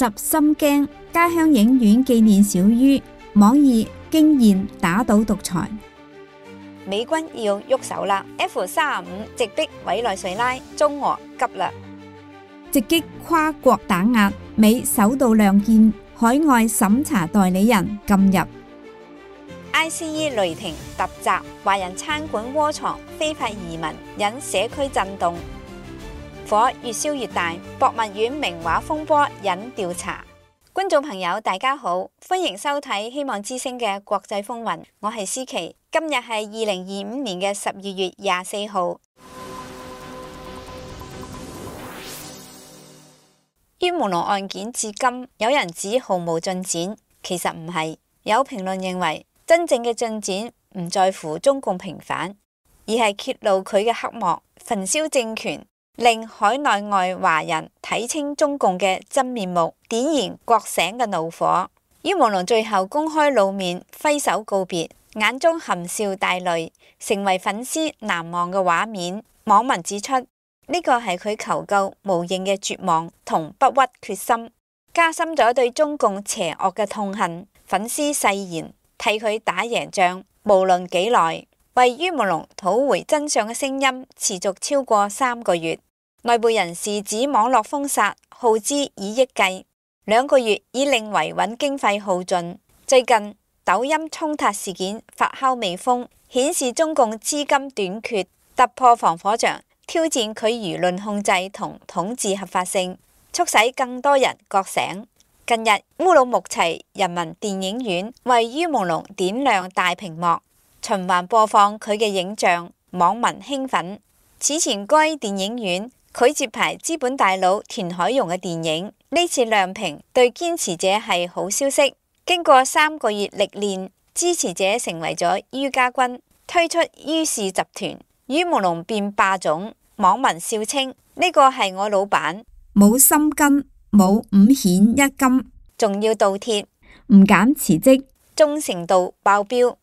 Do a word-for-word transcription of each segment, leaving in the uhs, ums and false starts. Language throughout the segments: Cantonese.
集心驚，家鄉影院紀念小于，網易驚豔打倒獨裁。美軍要喐手啦 ！F 三十五直逼委內瑞拉，中俄急啦！直擊跨國打壓，美首度亮劍，海外審查代理人禁入。I C E 雷霆突襲，華人餐館窩藏非法移民，引社區震動。火越燒越大，博物院名畫風波引調查。觀眾朋友大家好，歡迎收睇希望之聲嘅國際風雲，我係思琪。今日係二零二五年嘅十二月廿四號。於門龍案件至今，有人指毫無進展，其實唔係。有評論認為，真正嘅進展唔在乎中共平反，而係揭露佢嘅黑幕，焚燒政權，令海內外華人睇清中共嘅真面目，點燃覺醒嘅怒火。於門龍最後公開露面，揮手告別，眼中含笑帶淚，成為粉絲難忘嘅畫面。網民指出，呢個係佢求救無應嘅絕望同不屈決心，加深咗對中共邪惡嘅痛恨。粉絲誓言替佢打贏仗，無論幾耐。為於門龍討回真相嘅聲音持續超過三個月。內部人士指網絡封殺耗資以億計，兩個月已令維穩經費耗盡。最近抖音衝突事件發酵未封，顯示中共資金短缺，突破防火牆，挑戰佢輿論控制同統治合法性，促使更多人覺醒。近日烏魯木齊人民電影院為於門龍點亮大屏幕，循環播放佢嘅影像，網民興奮。此前該電影院拒接排資本大佬田海蓉嘅電影，呢次亮屏對堅持者係好消息。經過三個月歷練，支持者成為咗于家軍，推出于氏集團，於門龍變霸總。網民笑稱呢個係我老闆，冇心根，冇五險一金，仲要倒貼，唔減辭職，忠誠度爆標。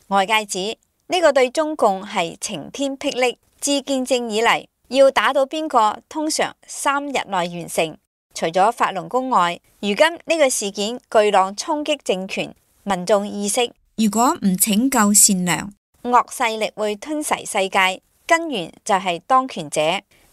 外界指呢個對中共係晴天霹靂，自建政以嚟要打倒邊個，通常三日內完成。除咗法輪功外，如今呢個事件巨浪衝擊政權，民眾意識，如果唔拯救善良，惡勢力會吞噬世界，根源就係當權者。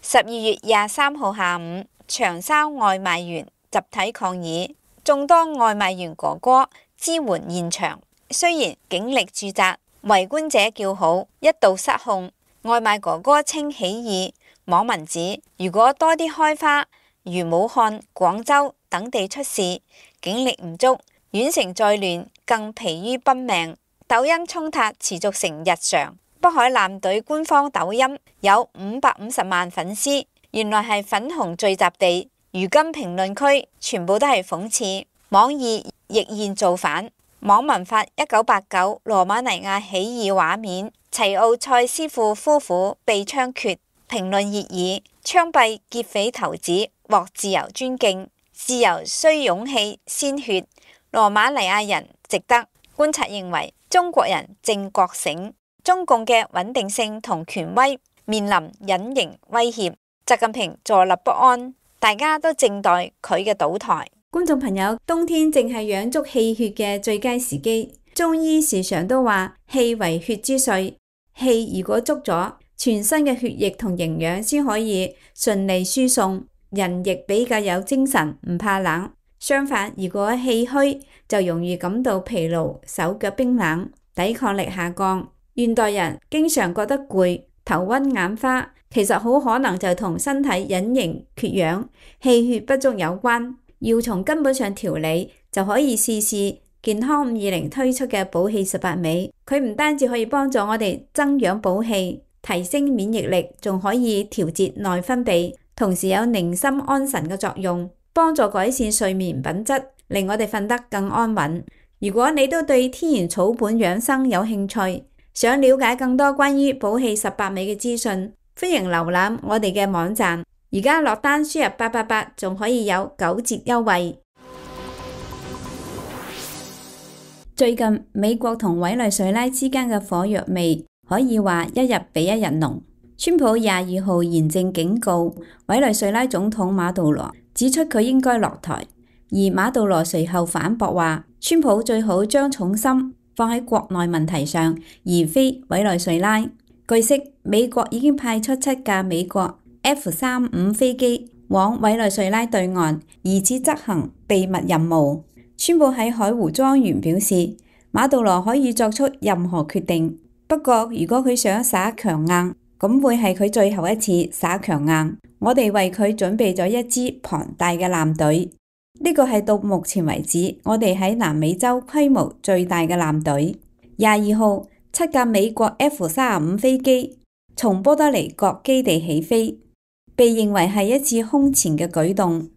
十二月廿三號下午，長沙外賣員集體抗議，眾多外賣員哥哥支援現場，雖然警力駐紮，圍觀者叫好，一度失控。外賣哥哥稱起義，網民指如果多啲開花，如武漢、廣州等地出事，警力唔足，縣城再亂，更疲於奔命。抖音衝突持續成日常。北海艦隊官方抖音有五百五十萬粉絲，原來係粉紅聚集地。如今評論區全部都係諷刺，網易亦現造反。網民發一九八九羅馬尼亞起義畫面，齊奧塞斯庫夫婦被槍決，評論熱議，槍斃劫匪頭子獲自由尊敬，自由需勇氣鮮血，羅馬尼亞人值得。觀察認為，中國人正覺醒，中共嘅穩定性同權威面臨隱形威脅，習近平坐立不安，大家都靜待佢嘅倒台。觀眾朋友，冬天正係養足氣血嘅最佳時機，中醫時常都話氣為血之髓，氣如果足咗，全身嘅血液同營養先可以順利輸送，人亦比較有精神，唔怕冷。相反，如果氣虛，就容易感到疲勞，手腳冰冷，抵抗力下降。現代人經常覺得攰、頭暈眼花，其實好可能就同身體隱形缺氧、氣血不足有關。要從根本上調理，就可以試試健康五二零推出嘅補氣十八味。佢唔單止可以幫助我哋增氧補氣、提升免疫力，仲可以調節內分泌，同時有寧心安神嘅作用，幫助改善睡眠品質，令我哋瞓得更安穩。如果你都對天然草本養生有興趣，想了解更多關於補氣十八味嘅資訊，歡迎瀏覽我哋嘅網站。而家落單輸入八八八，仲可以有九折優惠。最近美國同委內瑞拉之間嘅火藥味可以話一日比一日濃。川普廿二號嚴正警告委內瑞拉總統馬杜羅，指出佢應該落台，而馬杜羅隨後反駁話，川普最好將重心放喺國內問題上，而非委內瑞拉。據悉，美國已經派出七架美國 F 三五飛機往委內瑞拉對岸，疑似執行秘密任務。川普喺海湖莊園表示，馬杜羅可以作出任何決定，不過如果佢想耍強硬，咁會係佢最後一次耍強硬。我哋為佢準備咗一支龐大嘅艦隊，呢個係到目前為止我哋喺南美洲規模最大嘅艦隊。廿二號，七架美國 F 三十五飛機從波多黎各基地起飛，被認為係一次空前嘅舉動。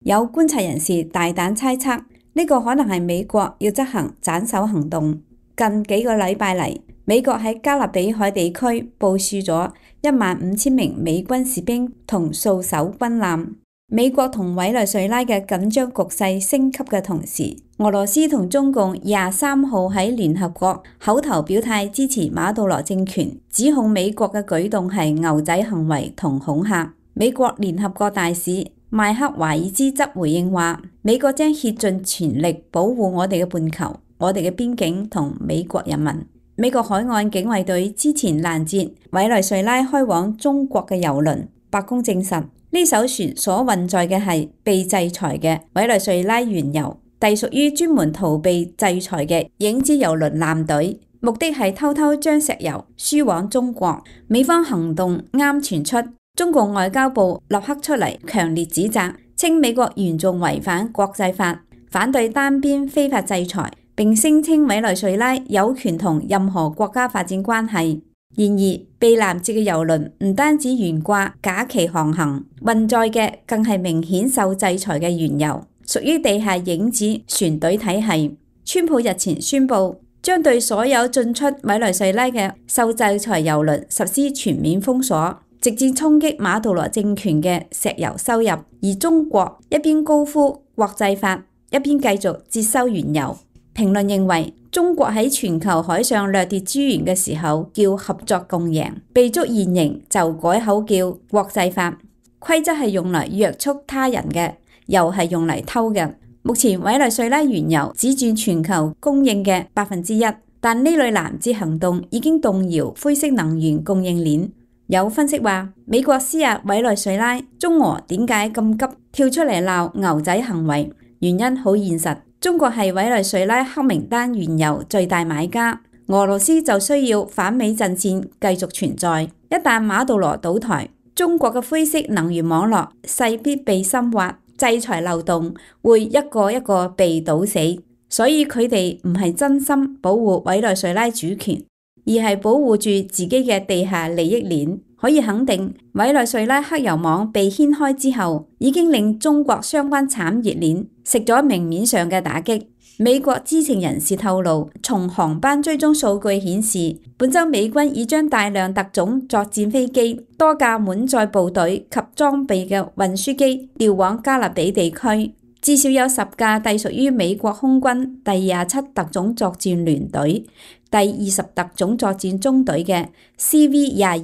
有觀察人士大膽猜測，呢個可能係美國要執行斬首行動。近幾個禮拜嚟，美國喺加勒比海地區部署咗一萬五千名美軍士兵同數艘軍艦。美國同委內瑞拉嘅緊張局勢升級嘅同時，俄羅斯同中共廿三號喺聯合國口頭表態支持馬杜羅政權，指控美國嘅舉動係牛仔行為同恐嚇。美國聯合國大使邁克華爾茲則回應話，美國將竭盡全力保護我哋嘅半球、我哋嘅邊境同美國人民。美國海岸警衛隊之前攔截委內瑞拉開往中國嘅郵輪，白宮證實呢艘船所運載嘅係被制裁嘅委內瑞拉原油，隸屬於專門逃避制裁嘅影子郵輪艦隊，目的係偷偷將石油輸往中國。美方行動啱傳出，中共外交部立刻出嚟強烈指責，稱美國嚴重違反國際法，反對單邊非法制裁，並聲稱委內瑞拉有權同任何國家發展關係。然而，被攔截嘅郵輪唔單止懸掛假期航行，運載嘅更係明顯受制裁嘅原油，屬於地下影子船隊體系。川普日前宣布將對所有進出委內瑞拉嘅受制裁郵輪實施全面封鎖，直接衝擊馬杜羅政權嘅石油收入。而中國一邊高呼國際法，一邊繼續接收原油。評論認為，中國喺全球海上掠奪資源嘅時候叫合作共贏，被捉現形就改口叫國際法。規則係用嚟約束他人嘅，又係用嚟偷嘅。目前委內瑞拉原油只佔全球供應嘅百分之一，但呢類攔截行動已經動搖灰色能源供應鏈。有分析話，美國施壓委內瑞拉，中俄點解咁急跳出嚟鬧牛仔行為？原因好現實。中國係委內瑞拉黑名單原油最大買家，俄羅斯就需要反美陣線繼續存在。一旦馬杜羅倒台，中國嘅灰色能源網絡勢必被深挖，制裁漏洞會一個一個被堵死。所以佢哋唔係真心保護委內瑞拉主權，而係保護住自己嘅地下利益鏈。可以肯定，委內瑞拉黑油網被掀開之後，已經令中國相關產業鏈食咗明面上嘅打擊。美國知情人士透露，從航班追蹤數據顯示，本週美軍已將大量特種作戰飛機、多架滿載部隊及裝備嘅運輸機調往加勒比地區，至少有十架隸屬於美國空軍第廿七特種作戰聯隊、第二十特種作戰中隊嘅 C V 廿二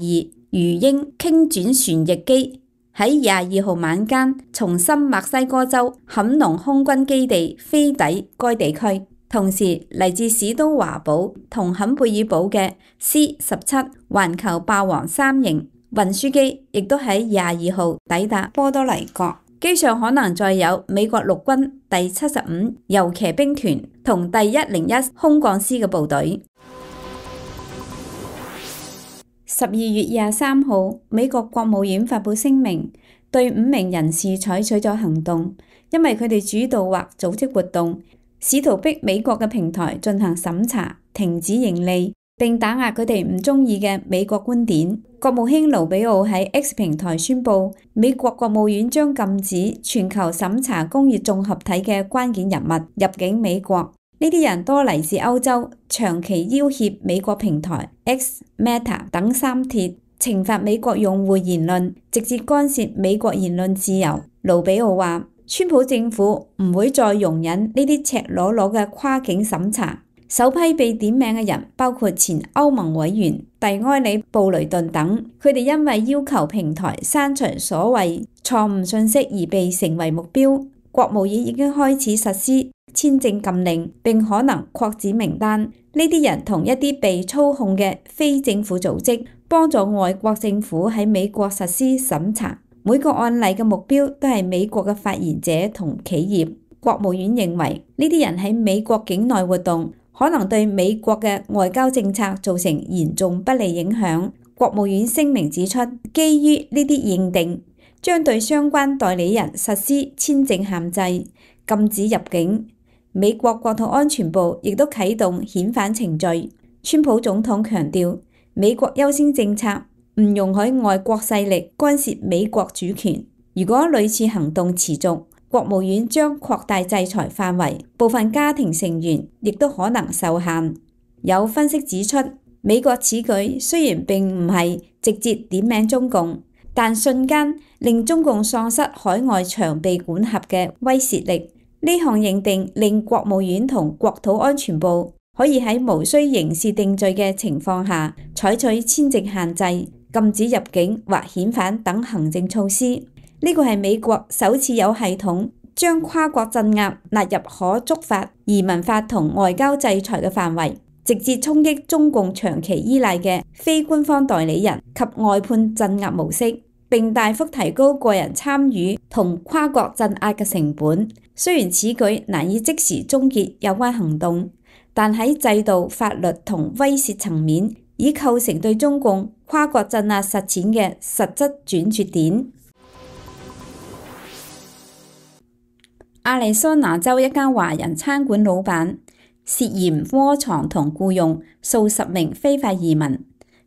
魚鷹傾轉旋翼機喺廿二號晚間從新墨西哥州坎農空軍基地飛抵該地區，同時嚟自史都華堡同坎貝爾堡嘅 C 十七環球霸王三型運輸機亦都喺廿二號抵達波多黎各，機上可能載有美國陸軍第七十五遊騎兵團同第一零一空降師嘅部隊。十二月廿三號，美國國務院發布聲明，對五名人士採取咗行動，因為佢哋主導或組織活動，試圖逼美國嘅平台進行審查、停止盈利，並打壓佢哋唔中意嘅美國觀點。國務卿盧比奧喺 X 平台宣布，美國國務院將禁止全球審查工業綜合體嘅關鍵人物入境美國。呢啲人多嚟自歐洲，長期要挾美國平台 X、Meta 等三鐵，懲罰美國用戶言論，直接干涉美國言論自由。盧比奧話，川普政府唔會再容忍呢啲赤裸裸嘅跨境審查。首批被點名嘅人包括前歐盟委員蒂埃里布雷頓等，佢哋因為要求平台刪除所謂錯誤信息而被成為目標。國務院已經開始實施簽證禁令，並可能擴展名單。呢啲人同一啲被操控嘅非政府組織，幫助外國政府喺美國實施審查。每個案例嘅目標都係美國嘅發言者同企業。國務院認為呢啲人喺美國境內活動，可能對美國嘅外交政策造成嚴重不利影響。國務院聲明指出，基於呢啲認定，將對相關代理人實施簽證限制，禁止入境。美國國土安全部亦都啟動遣返程序。川普總統強調，美國優先政策唔容許外國勢力干涉美國主權。如果類似行動持續，國務院將擴大制裁範圍，部分家庭成員亦都可能受限。有分析指出，美國此舉雖然並唔係直接點名中共，但瞬間令中共喪失海外長臂管轄嘅威懾力。呢項認定令國務院同國土安全部可以喺無需刑事定罪嘅情況下，採取簽證限制、禁止入境或遣返等行政措施。呢個係美國首次有系統將跨國鎮壓納入可觸發移民法同外交制裁嘅範圍，直接衝擊中共長期依賴嘅非官方代理人及外判鎮壓模式，並大幅提高個人參與同跨國鎮壓嘅成本。雖然此舉難以即時終結有關行動，但喺制度、法律同威懾層面，已構成對中共跨國鎮壓實踐嘅實質轉折點。亞利桑那州一間華人餐館老闆涉嫌窩藏同僱用數十名非法移民，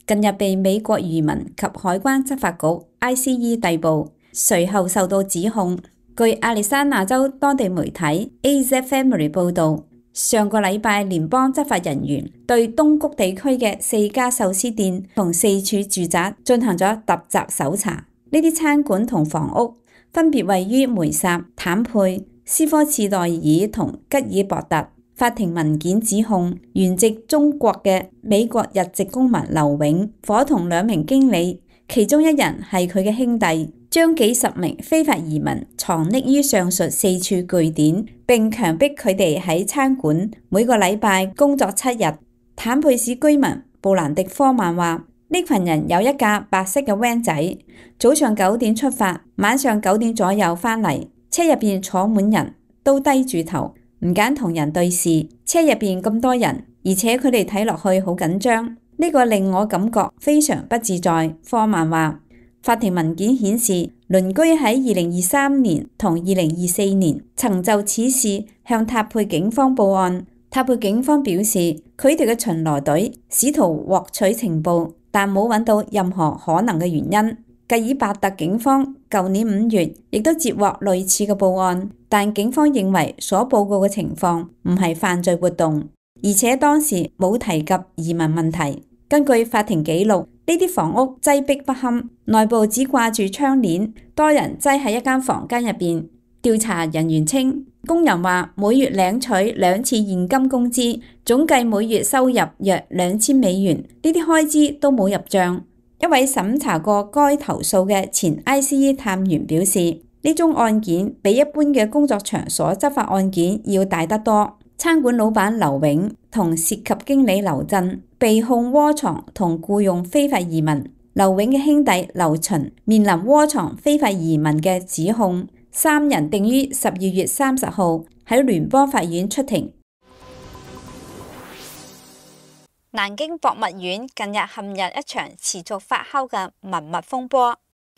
近日被美國移民及海關執法局 I C E 逮捕，隨後受到指控。據亞利桑那州當地媒體 A Z Family 報導，上個禮拜聯邦執法人員對東谷地區嘅四家壽司店同四處住宅進行咗突襲搜查。呢啲餐館同房屋分別位於梅薩、坦佩、斯科次代爾同吉爾伯特。法庭文件指控原籍中國嘅美國日籍公民劉永伙同兩名經理，其中一人係佢嘅兄弟，將幾十名非法移民藏匿於上述四處據點，並強迫佢哋喺餐館每個禮拜工作七日。坦佩市居民布蘭迪科曼話：呢群人有一架白色嘅 van 仔，早上九點出發，晚上九點左右返嚟，車入邊坐滿人，都低住頭，唔揀同人對視。車入邊咁多人，而且佢哋睇落去好緊張，呢個令我感覺非常不自在。科曼話，法庭文件顯示，鄰居喺二零二三年同二零二四年曾就此事向塔佩警方報案。塔佩警方表示，佢哋嘅巡邏隊試圖獲取情報，但冇揾到任何可能嘅原因。吉爾伯特警方舊年五月亦都接獲類似嘅報案，但警方認為所報告嘅情況唔係犯罪活動，而且當時冇提及移民問題。根據法庭記錄，呢啲房屋擠迫不堪，內部只掛住窗簾，多人擠喺一間房間入邊。調查人員稱，工人話每月領取兩次現金工資，總計每月收入約兩千美元，呢啲開支都冇入賬。一位審查過該投訴嘅前 I C E 探員表示，呢宗案件比一般嘅工作場所執法案件要大得多。餐館老闆劉永同涉及經理劉振被控窩藏同僱用非法移民，劉永嘅兄弟劉巡面臨窩藏非法移民嘅指控。三人定於十二月三十號喺聯邦法院出庭。南京博物院近日陷入一場持續發酵嘅文物風波。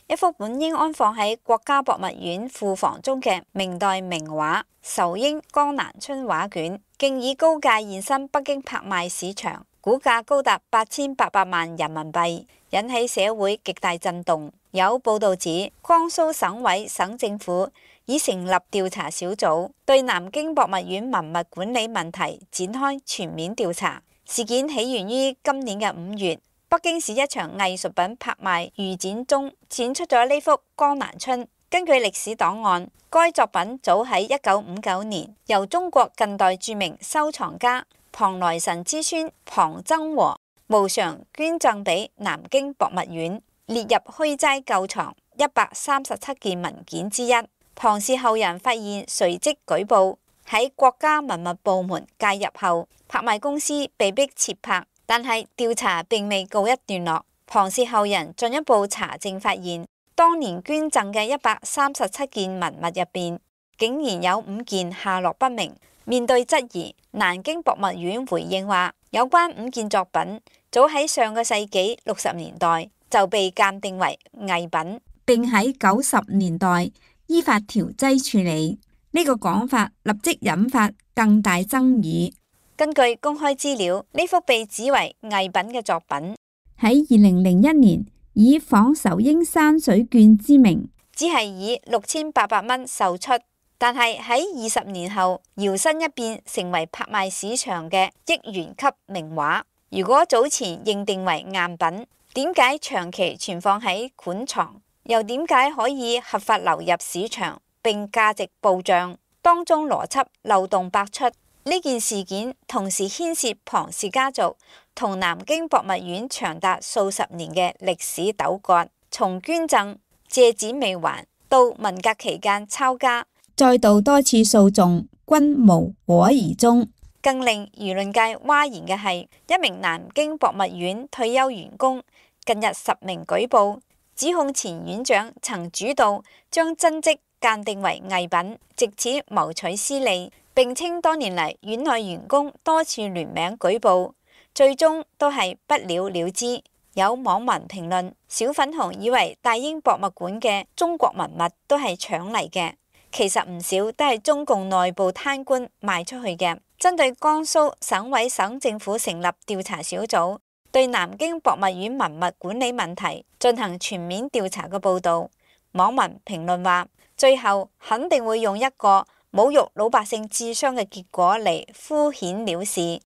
一幅本應安放喺國家博物院庫房中嘅明代名畫《仇英江南春》畫卷，竟以高價現身北京拍賣市場，估價高達八千八百萬人民幣，引起社會極大震動。有報道指，江蘇省委省政府已成立調查小組，對南京博物院文物管理問題展開全面調查。事件起源於今年嘅五月，北京市一場藝術品拍賣預展中展出咗呢幅《江南春》。根據歷史檔案，該作品早喺一九五九年由中國近代著名收藏家龐萊臣之孫龐曾和無償捐贈俾南京博物院，列入虛齋舊藏一百三十七件文件之一。龐龐氏後人發現隨即舉報，喺國家文物部門介入後，拍賣公司被迫撤拍，但係調查並未告一段落。龐氏後人進一步查證發現，當年捐贈嘅一百三十七件文物入邊，竟然有五件下落不明。面對質疑，南京博物院回應話，有關五件作品早喺上個世紀六十年代就被鑑定為偽品，並喺九十年代依法調劑處理。呢個講法立即引發更大爭議。根據公開資料，呢幅被指為偽品嘅作品喺二零零一年以仿仇英山水卷之名，只係以六千八百蚊售出，但係喺二十年後搖身一變成為拍賣市場嘅億元級名畫。如果早前認定為贗品，點解長期存放喺館藏？又點解可以合法流入市場並價值暴漲？當中邏輯漏洞百出。呢件事件同時牽涉龐氏家族同南京博物院長達數十年嘅歷史糾葛，從捐贈、借展未還到文革期間抄家，再到多次訴訟均無果而終。更令輿論界譁然嘅係，一名南京博物院退休員工近日實名舉報，指控前院長曾主導將真跡鑑定為偽品，藉此謀取私利。並稱多年嚟院內員工多次聯名舉報，最終都係不了了之。有網民評論：小粉紅以為大英博物館嘅中國文物都係搶嚟嘅，其實唔少都係中共內部貪官賣出去嘅。針對江蘇省委省政府成立調查小組，對南京博物院文物管理問題進行全面調查嘅報導，網民評論話：最後肯定會用一個侮辱老百姓智商嘅結果嚟敷衍了事。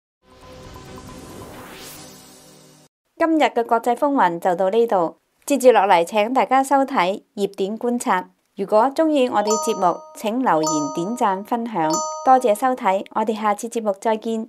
今日嘅國際風雲就到呢度，接住落嚟請大家收睇熱點觀察。如果鍾意我哋節目，請留言、點讚、分享，多謝收睇，我哋下次節目再見。